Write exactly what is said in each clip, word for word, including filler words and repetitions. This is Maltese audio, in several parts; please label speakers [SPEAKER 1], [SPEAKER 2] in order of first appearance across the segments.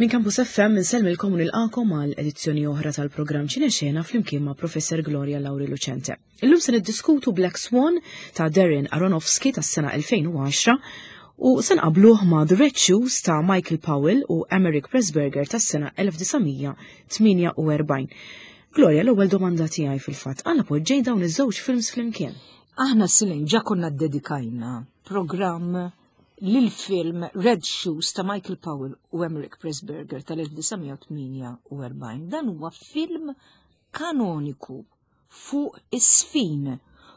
[SPEAKER 1] Minn Campus F M insellmilkom u nilqakom għal edizzjoni oħra tal-programm Ċinexena flimkien ma' Professor Gloria Lauri Lucente. Illum se niddiskutu Black Swan ta' Darren Aronofsky tas-sena elfejn u għaxra u se nqabluh ma' The Red Shoes ta' Michael Powell u Emeric Pressburger tas-sena elf disa' mija tmienja u erbgħin. Gloria, l-ewwel domanda tiegħi fil-fatt, għala poġġej dawn iż-żewġ films flimkien?
[SPEAKER 2] Aħna, Silin, ġa konna dedikajna programm lil-film Red Shoes ta' Michael Powell u Emeric Pressburger tal-elf disa' mija tmienja u erbgħin. Dan huwa film kanoniku fuq is-sfin,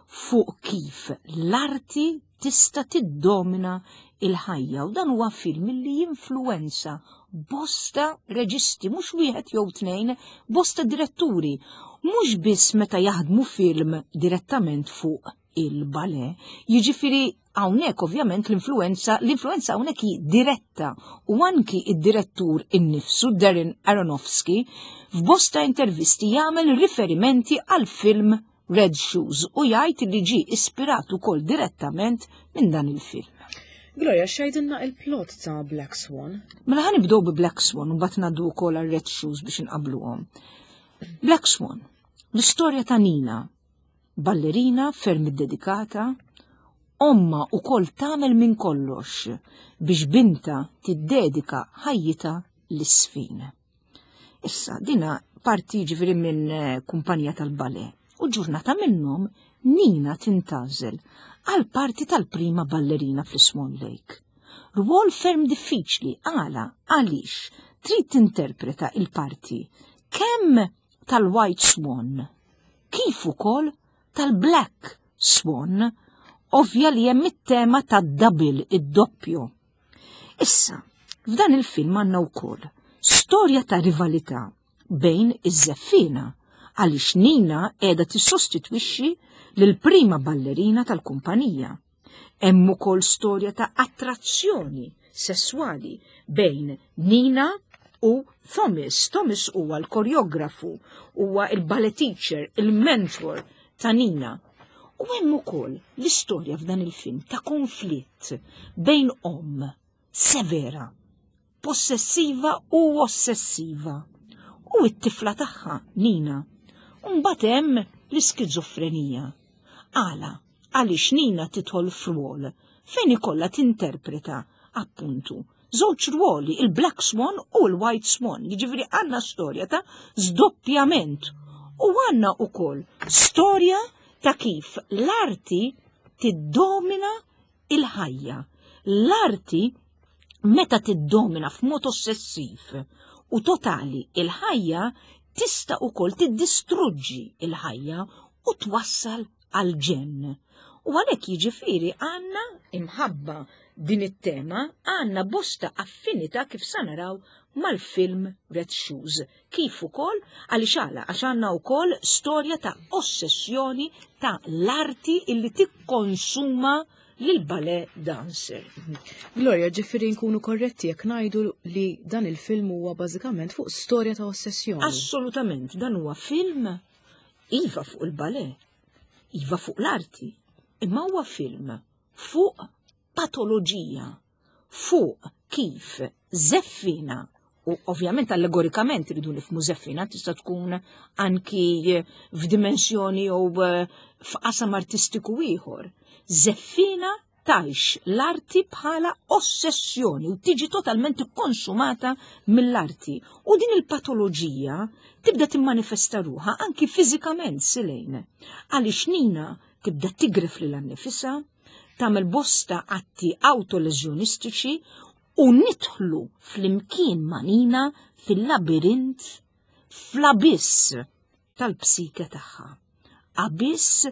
[SPEAKER 2] fuq kif l-arti tista' tiddomina il-ħajja, u dan huwa film li jinfluwenza bosta reġisti, mhux wieħed jew tnejn, bosta diretturi, mhux biss meta jaħdmu film direttament fuq il-ballet. Jiġifieri hawnhekk ovvjament l-influenza l-influenza hawnhekk hi diretta u anki id-direttur innifsu, Darren Aronofsky, f'bosta intervisti jagħmel riferimenti għal film Red Shoes u jgħid li ġi ispirat ukoll direttament minn dan il-film.
[SPEAKER 1] Gloria, x'jgħidilna il-plot ta' Black Swan?
[SPEAKER 2] Mela ħa nibdew bi Black Swan u mbagħad ngħaddu wkoll għal Red Shoes biex inqabluhom. Black Swan, l-istorja ta' Nina, ballerina ferm iddedikata, omma wkoll tagħmel minn kollox biex binta tiddedika ħajjita lis-sfin. Issa, dina parti ġifieri minn eh, kumpanija tal-ballet u ġurnata minnhom Nina tintgħażel għal parti tal-prima ballerina fl-Swan Lake. Rwol ferm diffiċli. Għala? Għaliex trid tinterpreta il-parti kemm tal-White Swan kif ukoll tal-Black Swan. Ovvja li hemm it-tema tad-double, id-doppju. Issa, f'dan il-film għandna wkoll storja ta' rivalità bejn iż-żeffina, għaliex Nina qiegħda tissostitwixxi lil prima ballerina tal-kumpanija. Hemm ukoll storja ta' attrazzjoni sesswali bejn Nina u Thomas. Thomas huwa l-koreografu, huwa il-ballet teacher, il-mentor ta' Nina. U hemm ukoll l-istorja f'dan il-film ta' konflitt bejn om severa, possessiva u ossessiva u t-tifla tagħha, Nina. Mbagħad hemm l-iskizofrenija. Għala? Għaliex Nina tidħol f'rwol fejn ikollha tinterpreta appuntu żewġ rwoli, il-Black Swan u l-White Swan. Jiġifieri għandna storja ta' zdoppjament u għandna ukoll storja ta' kif l-arti tiddomina il-ħajja. L-arti meta tiddomina f'mod ossessiv u totali il-ħajja tista' ukoll tiddistruġġi il-ħajja u twassal għal ġenn. U għalhekk jiġifieri għandna imħabba din it-tema għandna bosta affinità, kif sa naraw, mal-film Red Shoes. Kif ukoll għaliex għala għax għandna wkoll storja ta' ossessjoni ta' l-arti illi tikkonsuma lil ballet dancer.
[SPEAKER 1] Gloria, ġifieri nkunu korretti jekk ngħidu li dan il-film huwa bażikament fuq storja ta' ossessjoni?
[SPEAKER 2] Assolutament, dan huwa film iva fuq il-ballet, iva fuq l-arti, imma huwa film fuq patoloġija, fuq kif żeffina, u ovvjament allegorikament rridu nifhmu żeffina tista' tkun anki f'dimensjoni jew eh, f'qasam artistiku ieħor. Żeffina tgħix l-arti bħala ossessjoni u tiġi totalment konsumata mill-arti. U din il-patoloġija tibda timmanifesta ruħha anki fiżikament, Silejn. Għaliex Nina tibda tigref lilha nnifisha, tagħmel bosta atti autoleżjonistiċi u nidħlu flimkien ma' Nina fil-labirint, fl-abiss tal-psike tagħha. Abiss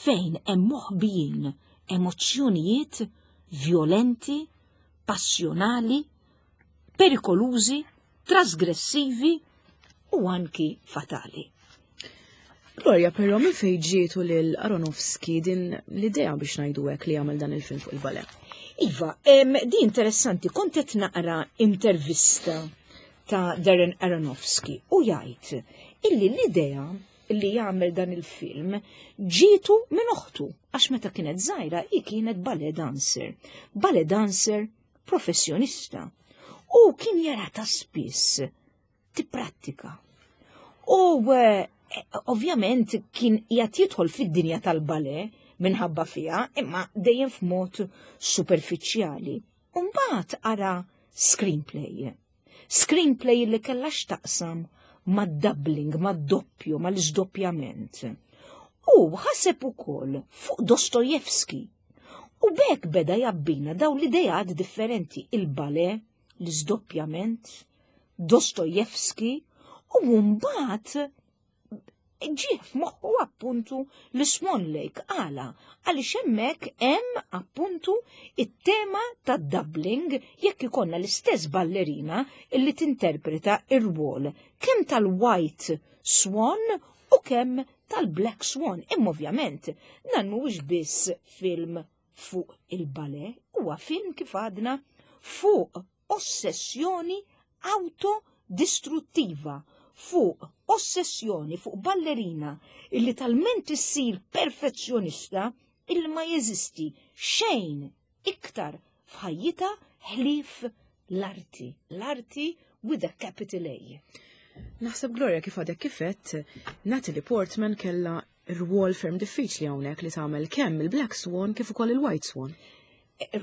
[SPEAKER 2] fejn hemm moħbijin emozzjonijiet violenti, passjonali, perikolużi, trasgressivi u anki fatali.
[SPEAKER 1] Gloria, però minn fejn ġietu lil Aronofsky din l-idea, biex ngħidu hekk, li jagħmel dan il-film fuq il-ballet?
[SPEAKER 2] Iva, em, di interessanti, kont qed naqra intervista ta' Darren Aronofsky u jgħid illi l-idea illi jagħmel dan il-film ġietu minn oħtu, għax meta kienet żgħira hi kienet ballet dancer. Ballet dancer professjonista. U kien jara ta' spiss tipprattika. U eh, ovvjament kien qiegħed jidħol fid-dinja tal-ballet minħabba fiha, imma dejjem f'mod superfiċjali. Umbagħad ara screenplay. Screenplay li kellha x'taqsam mad-doubling, mad-doppju, mal-iżdoppjament. U ħaseb ukoll fuq Dostojevski. U b'hekk beda jabbina daw l-idejat differenti, il-ballet, l-iżdoppjament, Dostojevski, u mbagħad ġie f'moħħu appuntu l-Swan Lake. Għala, għaliex hemmhekk hemm appuntu it-tema tad-doubling jekk ikollna l-istess ballerina illi tinterpreta ir-rwol kemm tal-White Swan u kemm tal-Black Swan. Imma ovvjament dan mhuwiex biss film fuq il-ballet, huwa film kif għadna fuq ossessjoni autodistruttiva, fuq ossessjoni fuq ballerina illi talment issir perfezzjonista illi ma jeżisti xejn iktar f'ħajjitha ħlief l-arti, l-arti with a capital A.
[SPEAKER 1] Naħseb Gloria kif għadek kifet, Natalie Portman kella rwol ferm diffiċli hawnhekk li tagħmel kemm il-Black Swan kif ukoll il-White Swan.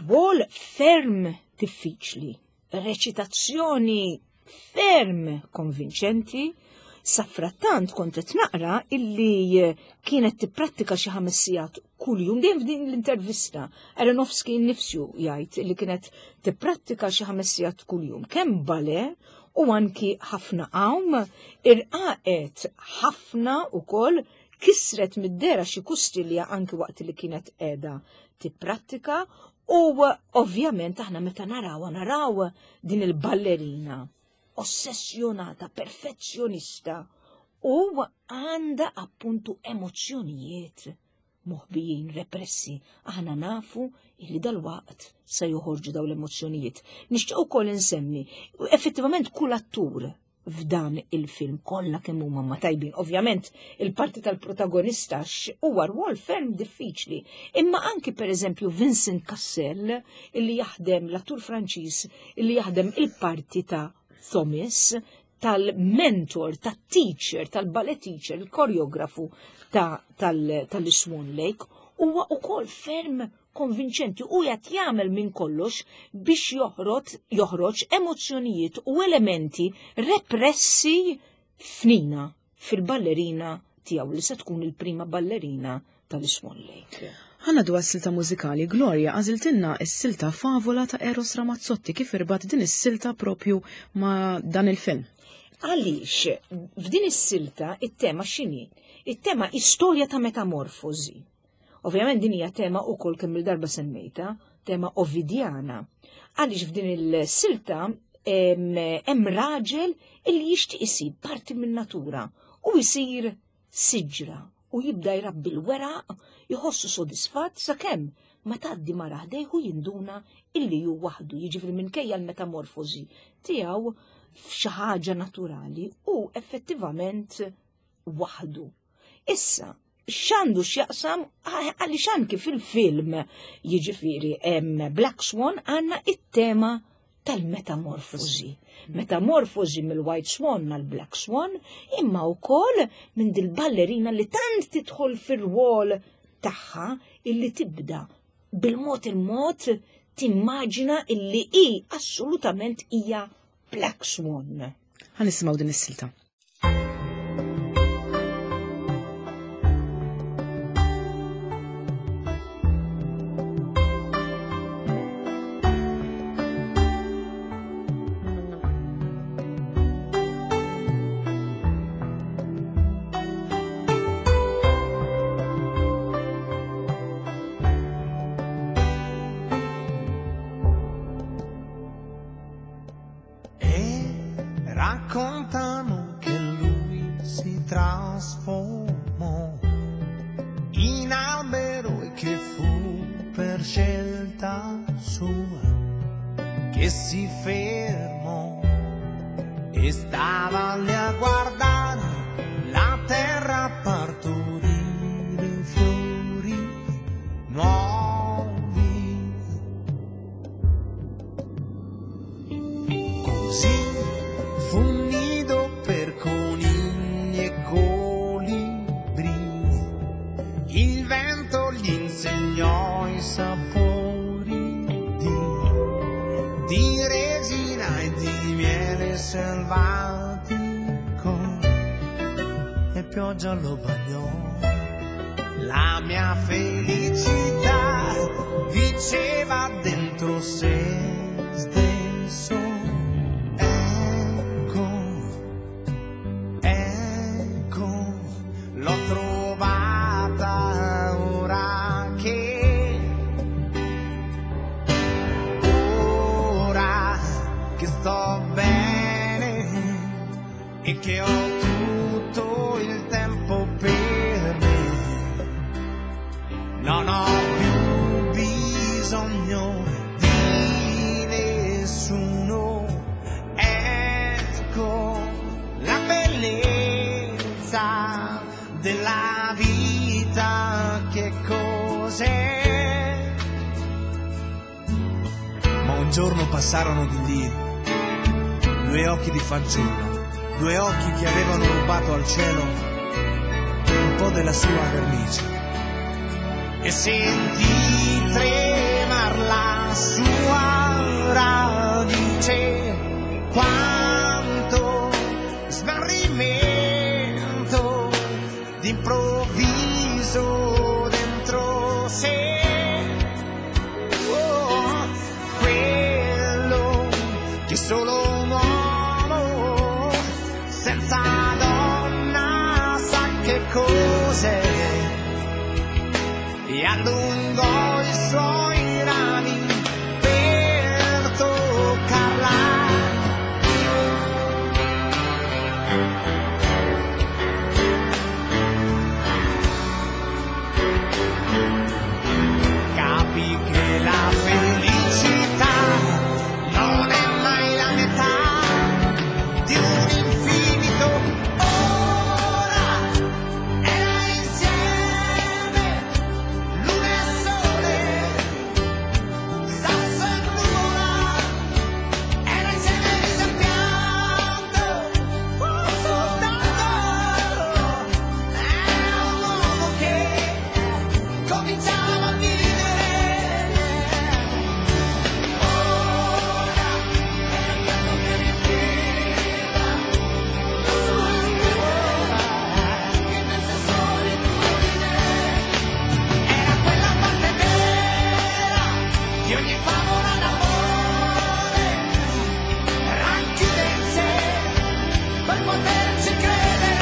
[SPEAKER 2] Rwol ferm diffiċli, reċitazzjoni ferm konvinċenti. Safrattant kont qed naqra illi kienet tipprattika xi ħames sigħat kuljum, dejjem f'din l-intervista Aronofsky nnifsu jgħid illi kienet tipprattika xi ħames sigħat kuljum, kemm ballet u anki ħafna għawm, irqaqet ħafna ukoll, kisret mid-dera xi kustilja anki waqt li kienet qiegħda tipprattika. U ovvjament aħna meta naraw naraw din il-ballerina ossessjonata, perfezzjonista, u għanda appuntu emozzjonijiet moħbijin, repressi. Aħna nafu illi dal-waqt se joħorġu daw l-emozzjonijiet. Nixtieq ukoll insemmi, effettivament kull attur f'dan il-film kollha kemm huma ma tajbin. Ovvjament il-parti tal-protagonista huwa rwol ferm diffiċli, imma anki pereżempju Vincent Cassel illi jaħdem, l-attur Franċiż illi jaħdem il-parti ta' Thomas, tal-mentor, tat-teacher, tal-ballet teacher, il-koreografu tal-Swan Lake, huwa ukoll ferm konvinċenti u jgħat jagħmel minn kollox biex joħroġ, joħroġ emozzjonijiet u elementi repressi f'Nina, fil-ballerina tiegħu li se tkun il-prima ballerina tal-Swan Lake.
[SPEAKER 1] Ħanna dwar silta mużikali, Gloria għażiltilna s-silta Favola ta' Eros Ramazzotti. Kif irbat din is-silta propju ma' dan il-film?
[SPEAKER 2] Għaliex f'din is-silta it-tema x'inhi? It-tema istorja ta' metamorfosi. Ovvjament din hija tema wkoll kemm il-darba semmejta, tema ovidjana. Għaliex f'din il-silta hemm raġel illi jixtieq isir parti min-natura u jsir siġra u jibda jrabbi l-weraq, jħossu sodisfatt sakemm ma tgħaddi mara ħdejh u jinduna illi hu waħdu, jiġifieri minkejja l-metamorfosi tiegħu f'xi ħaġa naturali u effettivament waħdu. Issa, x'għandu x'jaqsam għaliex anki fil-film jiġifieri hemm Black Swan għandna it-tema tal-metamorfosi. Metamorfosi mill-White Swan għal Black Swan, imma wkoll minn dil-ballerina li tant tidħol fir-rwol tagħha illi tibda bil-mod il-mod timmaġina illi hi assolutament hija Black Swan.
[SPEAKER 1] Ħa nisimgħu din is-silta.
[SPEAKER 3] Raccontano che lui si trasformò in albero e che fu per scelta sua che si fermò e stava lì a guardare la terra partorire fiori nuovi. Pioggia lo bagnò. La mia felicità diceva dentro se stesso: ecco, ecco, l'ho trovata ora che, ora che sto bene e che ho tutto il tempo per me. Non ho più bisogno di nessuno. Ecco la bellezza della vita, che cos'è?
[SPEAKER 4] Ma un giorno passarono di lì due occhi di fanciullo, due occhi che avevano rubato al cielo un po' della sua vernice.
[SPEAKER 3] E sentì tremar la sua radice, quanto smarrimento d'improvviso dentro sé. Oh, quello che solo un uomo senza donna sa che cos'è. E allungò i suoi rami per toccarla. Capì che la felicità non è mai la metà di un infinito. Ora era insieme luna e sole, sasso e nuvola, era insieme riso e pianto, soltanto era un uomo che cominciava a vivere. Ora era il canto che riempiva la sua nuvola, immensa solitudine. Era quella parte vera di ogni favola d'amore, racchiude in sé per poterci credere.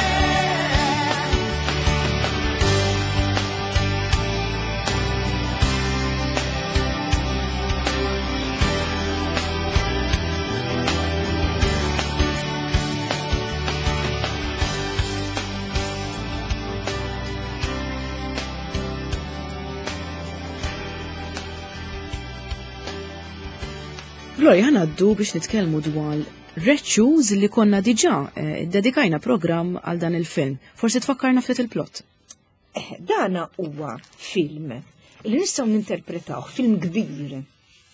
[SPEAKER 1] Gloria, ħa ngħaddu biex nitkellmu dwar Red Shoes li konna diġà eh, dedikajna programm għal dan il-film. Forsi tfakkarna ftit il-plot.
[SPEAKER 2] Eh, dana huwa film li nistgħu ninterpretaw, film kbir.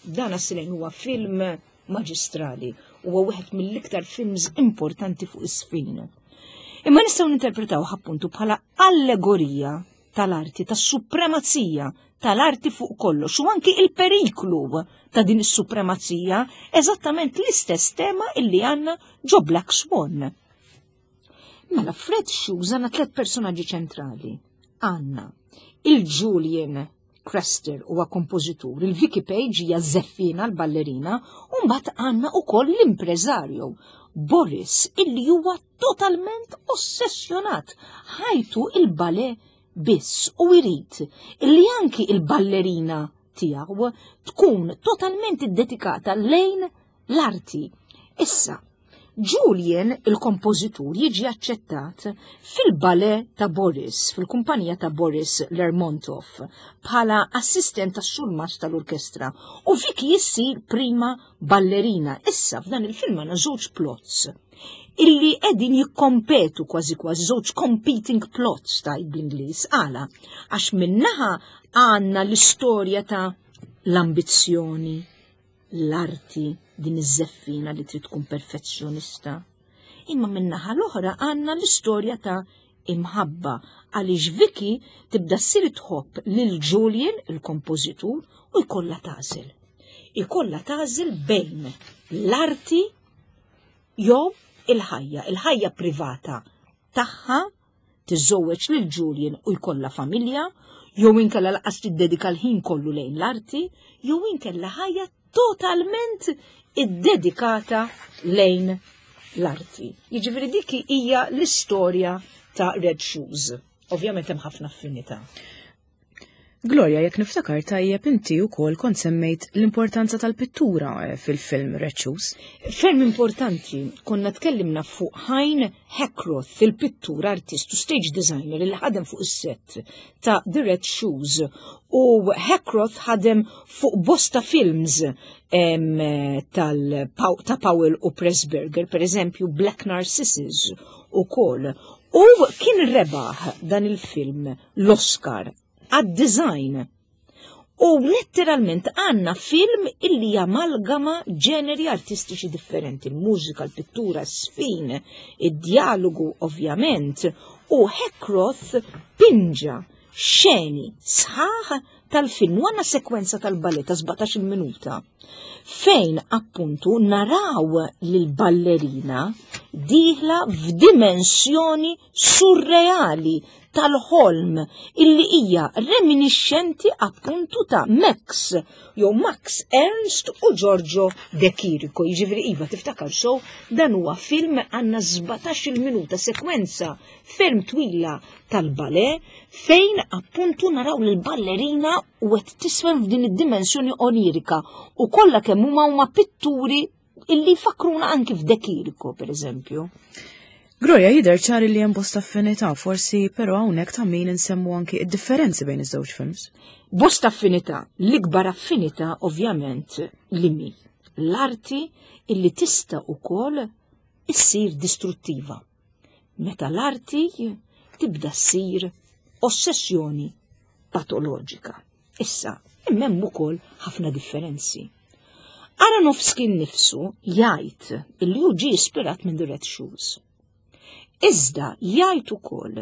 [SPEAKER 2] Dana silejn huwa film maġistrali, huwa wieħed mill-iktar films importanti fuq is-sfin. Imma nistgħu ninterpretaw appuntu bħala allegorija tal-arti, tas-supremazija tal-arti fuq kollox u anki il-periklu ta' din is-supremazija, eżattament l-istess tema illi għandna ġo Black Swan. Mela, f'Red Shoes għandna tliet personaġġi ċentrali. Għandna il-Julian Craster huwa kompożitur, il-Vicky Page hija żeffina l-ballerina, u mbagħad għandna wkoll l-impreżarju Boris illi huwa totalment ossessjonat, ħajtu il-ballet biss u jrid illi anki il-ballerina tiegħu tkun totalment iddedikata lejn l-arti. Issa, Julian, il-kompożitur, jiġi aċċettat fil-ballet ta' Boris, fil-kumpanija ta' Boris Lermontov, bħala assistent tas-surmast tal-orkestra, u Vicky jissir prima ballerina. Issa, f'dan il-film għandna żewġ plots illi qegħdin jikkompetu kważi kważi, żewġ competing plots ta' bl-Ingliż. Għala, għax minnaħa għandna l-istorja ta' l-ambizzjoni, l-arti, din iż-żeffina li trid tkun perfezzjonista. Imma minnaħa l-oħra għandna l-istorja ta' imħabba, għaliex Vicky tibda ssir tħobb lil Julian, il-kompożitur, u jkollha tagħżel. Ikollha tagħżel bejn l-arti jew il-ħajja, il-ħajja privata tagħha Tiżżewweġ lil Julian u jkollha familja, jew inkella lanqas tiddedika l-ħin kollu lejn l-arti, jew inkella ħajja totalment iddedikata lejn l-arti. Jiġifieri dik hija l-istorja ta' Red Shoes. Ovvjament hemm ħafna affinità.
[SPEAKER 1] Gloria, jekk niftakar tajjeb, inti wkoll kont semmejt l-importanza tal-pittura eh, fil-film Red Shoes.
[SPEAKER 2] Ferm importanti, konna tkellimna fuq Hein Heckroth, il-pittur, artist u stage designer li ħadem fuq is-set ta' The Red Shoes. U Heckroth ħadem fuq bosta films em, tal ta' Powell u Pressburger, per eżempju Black Narcissus ukoll. U kien rebaħ dan il-film l-Oscar għad-design. U letteralment għandna film illi jamalgama ġeneri artistiċi differenti, il-mużika, l-pittura, s-sfin, id-dialogu ovvjament, u Heckroth pinġa xeni sħaħ tal-film, u għandna sekwenza tal-ballet ta' sbatax-il minuta, fejn appuntu naraw l-ballerina dieħla f'dimensjoni surreali tal-ħolm illi hija reminiscenti appuntu ta' Max jew Max Ernst u Giorgio De Chirico. Jiġifieri iva, tiftakar so, dan huwa film għandna sbatax-il minuta sekwenza ferm twila tal-ballet fejn appuntu naraw l-ballerina u qed tiswen f'din id-dimensjoni onirika u kollha kemm huma huma pitturi illi fakruna anki f'De Chirico, per eżempju.
[SPEAKER 1] Gloria, jidher ċar li hemm bosta affinità, forsi però hawnhekk ta' min insemmu anki id-differenzi bejn iż-żewġ films.
[SPEAKER 2] Bosta affinità, l-ikbar affinità ovvjament li mi l-arti illi tista' ukoll issir distruttiva. Meta l-arti tibda ssir ossessjoni patoloġika. Issa, imma hemm ukoll ħafna differenzi. Aronofsky nnifsu jgħid illi hu ġie ispirat minn The Red Shoes. Iżda jgħid ukoll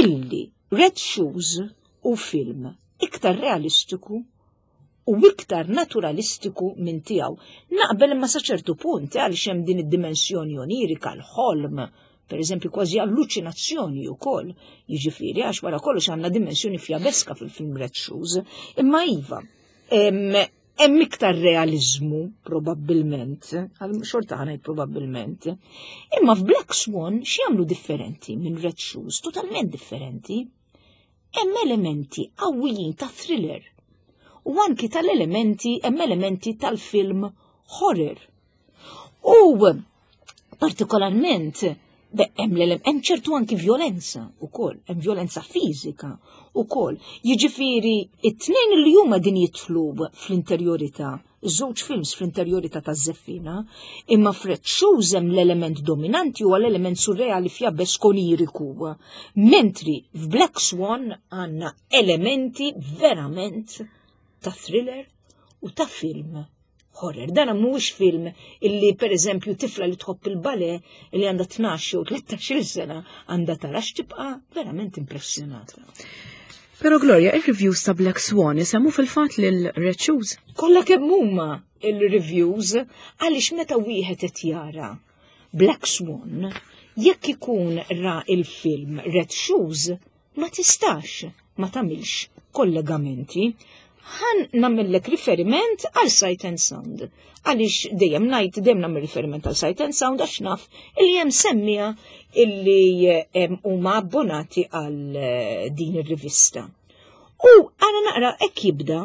[SPEAKER 2] illi Red Shoes hu film iktar realistiku u iktar naturalistiku minn tiegħu. Naqbel, imma sa ċertu punt, għaliex hemm din id-dimensjoni onirika, l-ħolm, per eżempju kważi alluċinazzjoni wkoll, jiġifieri għax wara kollox għandna dimensjoni fjabeska fil-film Red Shoes, imma iva, hemm iktar realizmu probabbilment, għal xorta ħa ngħid probabbilment. Imma f'Black Swan x'jagħmlu differenti minn Red Shoes, totalment differenti? Hemm elementi qawwijin ta' thriller u anki tal-elementi, hemm elementi tal-film horror. U partikolarment hemm hemm ċertu anki violenza ukoll, hemm violenza fiżika ukoll. Jiġifieri it-tnejn li huma din jidħlu fl-interjorità, iż-żewġ films fl-interjorità taż-żeffina, imma f'Red Shoes hemm l-element dominanti huwa l-element surreali fjabesk oniriku. Mentri f'Black Swan għandna elementi verament ta' thriller u ta' film horror. Dan mhuwiex film illi, per eżempju, tifla li tħobb il-ballet li għandha tnax jew tlettax-il sena għandha tara, tibqa' verament impressjonata.
[SPEAKER 1] Pero Gloria, il-reviews ta' Black Swan isemmu fil-fatt lil Red Shoes.
[SPEAKER 2] Kollha kemm huma il-reviews, għaliex meta wieħed qed jara Black Swan, jekk ikun ra il-film Red Shoes, ma tistax ma tagħmilx kollegamenti. Ħa nagħmillek riferiment għal Sight and Sound. Għaliex dejjem ngħid, dejjem nagħmel riferiment għal Sight and Sound, għax naf illi hemm semmija illi huma abbonati għal eh, din ir-rivista. U għana naqra hekk jibda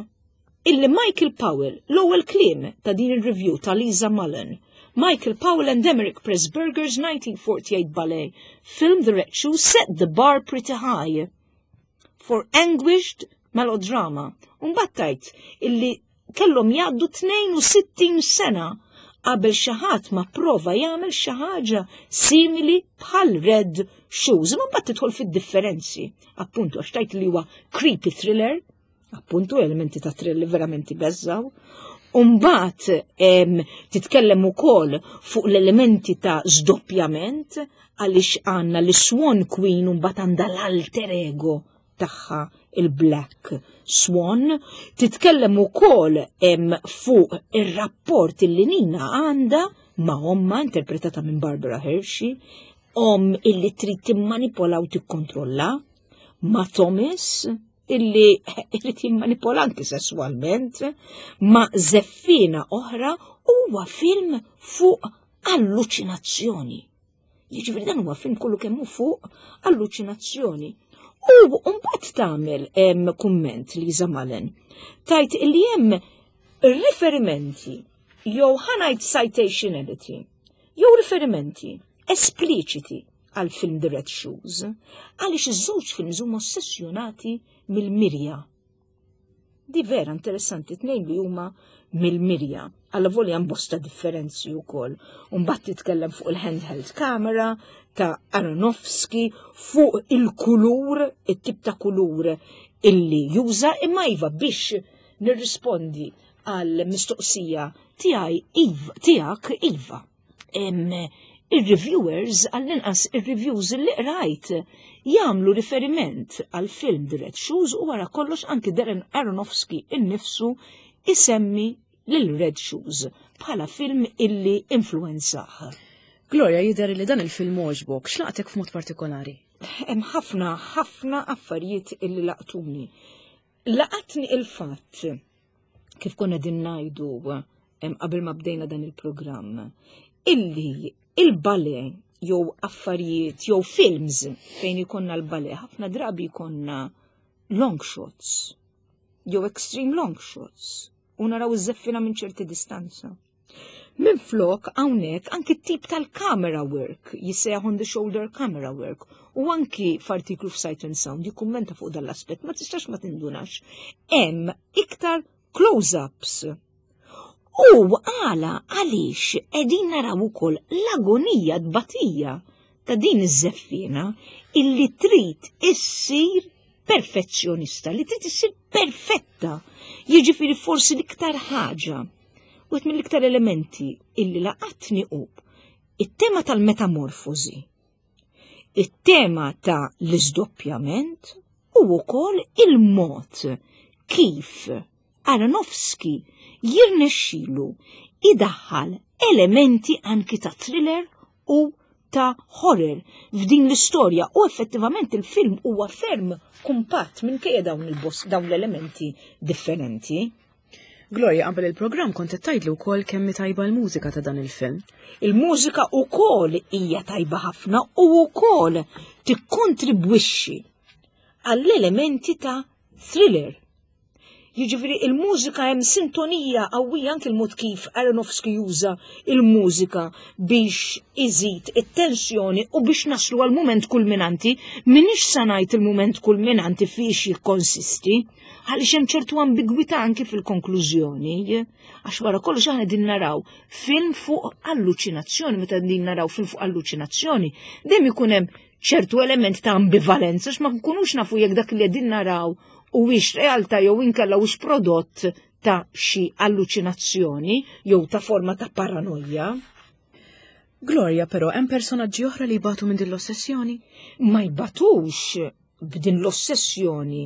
[SPEAKER 2] illi Michael Powell, l-ewwel kliem ta' din ir-review ta' Lisa Mullen, "Michael Powell and Emeric Pressburger's nineteen forty-eight ballet film The Red Shoes set the bar pretty high for anguished melodrama." Umbattajt illi kellhom jgħaddu tnejn u sittin sena qabel xi ħadd ma prova jagħmel xi ħaġa simili bħal Red Shoes. Ma mbagħad tidħol fid-differenzi. Appuntu għax tgħid li huwa creepy thriller, appuntu elementi ta' thriller verament beżżaw. Umbat titkellem ukoll fuq l-elementi ta' zdoppjament, għaliex għandna l-Swan Queen u mbagħad għandha l-alter ego tagħha, il-Black Swan, titkellem ukoll fuq ir-rapport li Nina għandha ma' omma, interpretata minn Barbara Hershey, Omm illi trid timmanipola u tikkontrolla, ma' Thomas illi irid jimmanipola anki sesswalment, ma' żeffina oħra. Huwa film fuq alluċinazzjoni. Jiġifieri dan huwa film kollu kemm hu fuq alluċinazzjoni. U mbagħad tagħmel hemm kumment Lisa Mullen. Tgħid illi hemm riferimenti jew, ħa ngħid, citationality jew riferimenti espliċiti għal film The Red Shoes, għaliex iż-żewġ films huma ossessjonati mill-mirja. Di vera interessanti, tnejn li huma mill-mirja. Alla volja hemm bosta differenzi wkoll. Mbagħad titkellem fuq il-handheld camera ta' Aronofsky, fuq il-kulur, it-tip ta' kulur illi juża, imma iva, biex nirrispondi għal mistoqsija tiegħi iva, tiegħek, iva. Il-reviewers, għall-inqas il-reviews li rajt, jagħmlu riferiment għal film The Red Shoes u wara kollox anki Darren Aronofsky innifsu isemmi lil Red Shoes bħala film illi influenzah.
[SPEAKER 1] Gloria, jidher li dan il-film għoġbok, x'laqtek f'mod partikolari?
[SPEAKER 2] Hemm ħafna ħafna affarijiet illi laqtuni. Laqatni il-fatt, kif konna din ngħidu qabel ma bdejna dan il-programm, illi il-ballet jew affarijiet jew films fejn ikonna l-ballet ħafna drabi jkollna long shots jew extreme long shots u naraw iż-żeffina minn ċerti distanza. Minn flok hawnhekk anki tip tal-camera work jissejjaħ on the shoulder camera work u anki f'artiklu f'Sight and Sound jikkummenta fuq dal-aspett, ma tistax ma tindunax. Hemm iktar close-ups. U għala għaliex qegħdin naraw ukoll l-agonija, tbatija ta' din iż-żeffina illi trid issir perfezzjonista, li trid issir perfetta. Jiġifieri forsi l-iktar ħaġa, u mill-iktar elementi illi laqatni hu it-tema tal-metamorfosi, it-tema ta' l-izdoppjament u wkoll il-mod kif Aronofsky jirnexxilu idaħħal elementi anki ta' thriller u ta' horror f'din l-istorja u effettivament il-film huwa ferm kumpatt minkejja dawn il-boss dawn l-elementi differenti.
[SPEAKER 1] Gloria, qabel il-programm kont qed tgħidli wkoll kemm tajba l-mużika ta' dan il-film.
[SPEAKER 2] Il-mużika wkoll hija tajba ħafna u wkoll tikkontribwixxi għall-elementi ta' thriller. Jiġifieri il-mużika, hemm sintonija qawwija, anke il-mod kif Aronofsky juża il-mużika biex iżid it-tensjoni u biex naslu għal mument kulminanti. M'iniex sa ngħid il-mument kulminanti fiex jikkonsisti, għaliex hemm ċertu ambigwità anke fil-konklużjoni, għax wara kollox aħna din naraw film fuq alluċinazzjoni. Meta din naraw film fuq alluċinazzjoni, dejjem ikun hemm ċertu element ta' ambivalenza, ma nkunux nafu jekk dak li qegħdin naraw huwiex realtà jew inkella hux prodott ta' xi alluċinazzjoni jew ta' forma ta' paranoja.
[SPEAKER 1] Gloria, però hemm personaġġi oħra li jbatu minn din l-ossessjoni?
[SPEAKER 2] Ma jbatux b'din l-ossessjoni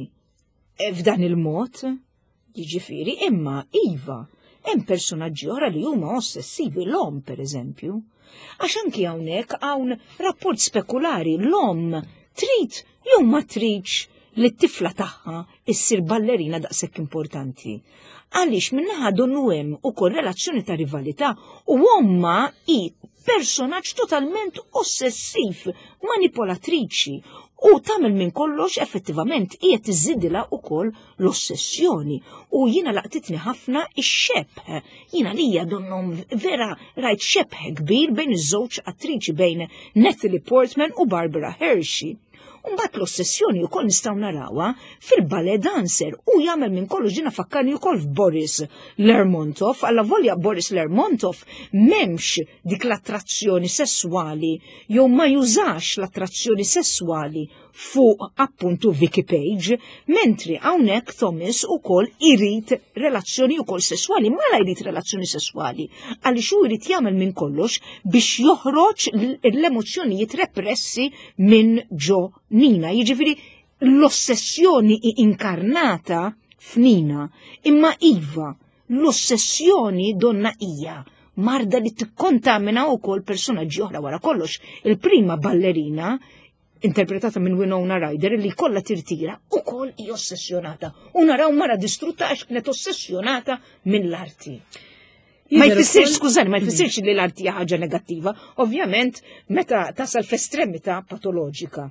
[SPEAKER 2] f'dan il-mod, jiġifieri, imma iva, hemm personaġġi oħra li huma ossessivi, l-omm per eżempju. Għax anki hawnhekk hawn rapport spekulari, l-omm trid jew ma tridx li t-tifla tagħha issir ballerina daqshekk importanti. Għaliex min-naħa donnu hemm ukoll relazzjoni ta' rivalità u omma hi personaġġ totalment ossessiv, manipolatriċi u tagħmel minn kollox, effettivament qiegħed iżidilha wkoll l-ossessjoni. U jiena laqtitni ħafna ix-xebh. Jiena lija donnom vera rajt xebh kbir bejn iż-żewġ attriċi, bejn Natalie Portman u Barbara Hershey. Mbagħad l-ossessjoni wkoll nistgħu narawha fil-ballet dancer u jagħmel minn kollox, ġina fakkarni wkoll f'Boris Lermontov, alla volja Boris Lermontov m'hemmx dik l-attrazzjoni sessuali jew ma jużax l-attrazzjoni sessuali fuq appuntu Vicky Page, mentri hawnhekk Thomas ukoll irid relazzjoni ukoll sessuali, ma la jrid relazzjoni sessuali, għaliex hu jrid jagħmel minn kollox biex joħroġ l-emozzjonijiet repressi minn ġo Nina. Jiġifieri l-ossessjoni inkarnata f'Nina, imma iva, l-ossessjoni donna hija Marda li tikkontamina wkoll personaġġi oħra. Wara kollox, il-prima ballerina interpretata minn Winona Ryder li kollha tirtira ukoll hi ossessjonata. U naraw mara distrutta għax kienet ossessjonata mill-arti. Ma jfissirx, skużani, ma jfissirx li l-arti hija ħaġa negattiva, ovvjament meta tasal f'estremità patoloġika.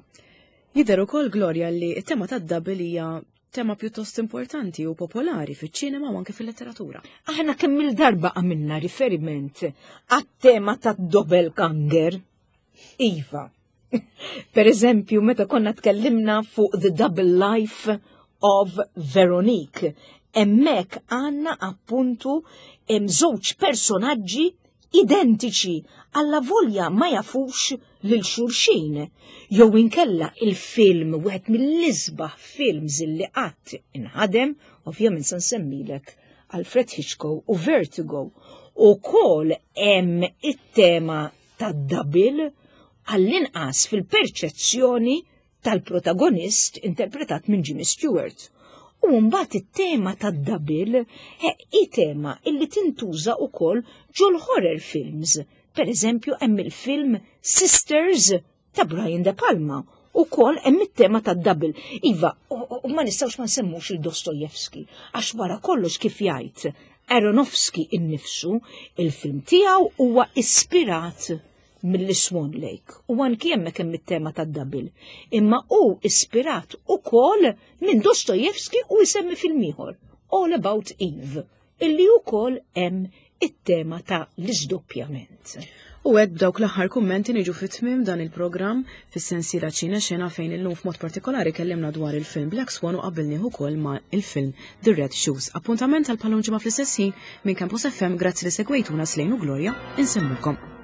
[SPEAKER 1] Jidher ukoll, Gloria, li t-tema tad-double hija tema pjuttost importanti u popolari fiċ-ċinema u anke fil-letteratura.
[SPEAKER 2] Aħna kemm il-darba għamilna riferiment għat-tema tad-doppelganger. Iva. Per eżempju, meta konna tkellimna fuq The Double Life of Veronique, hemmhekk għandna appuntu hemm żewġ personaġġi identiċi alla volja ma jafux lil xulxin. Jew inkella il-film, wieħed mill-isbaħ films li qatt inħadem, ovvjament se nsemmilek Alfred Hitchcock u Vertigo. Ukoll hemm it-tema tad-double, għall-inqas fil-perċezzjoni tal-protagonist interpretat minn Jimmy Stewart. U mbagħad it-tema tad-double hi tema illi tintuża wkoll ġol horror films. Per eżempju, hemm il-film Sisters ta' Brian De Palma. Ukoll hemm it-tema tad-double. Iva, u ma nistgħux ma nsemmux il-Dostojevski, għax wara kollox, kif jgħid Aronofsky innifsu, il-film tiegħu huwa ispirat mill-Swan Lake. U anki hemmhekk hemm it-tema tad-double. Imma hu ispirat ukoll minn Dostojevski u jsemmi film ieħor, All About Eve, illi ukoll hemm it-tema ta' l-iżdoppjament.
[SPEAKER 1] U hekk, b'dawk l-aħħar kummenti, niġu fit-tmim dan il-programm fis-sensiela Ċine Xena, fejn illum f'mod partikolari kellimna dwar il-film Black Swan u qabbilnieh ukoll ma' il-film The Red Shoes. Appuntament għal bħal ġimgħa fl-istess ħin minn Campus F M. Grazzi li segwejtuna. Slejnu Gloria, insellmulkom.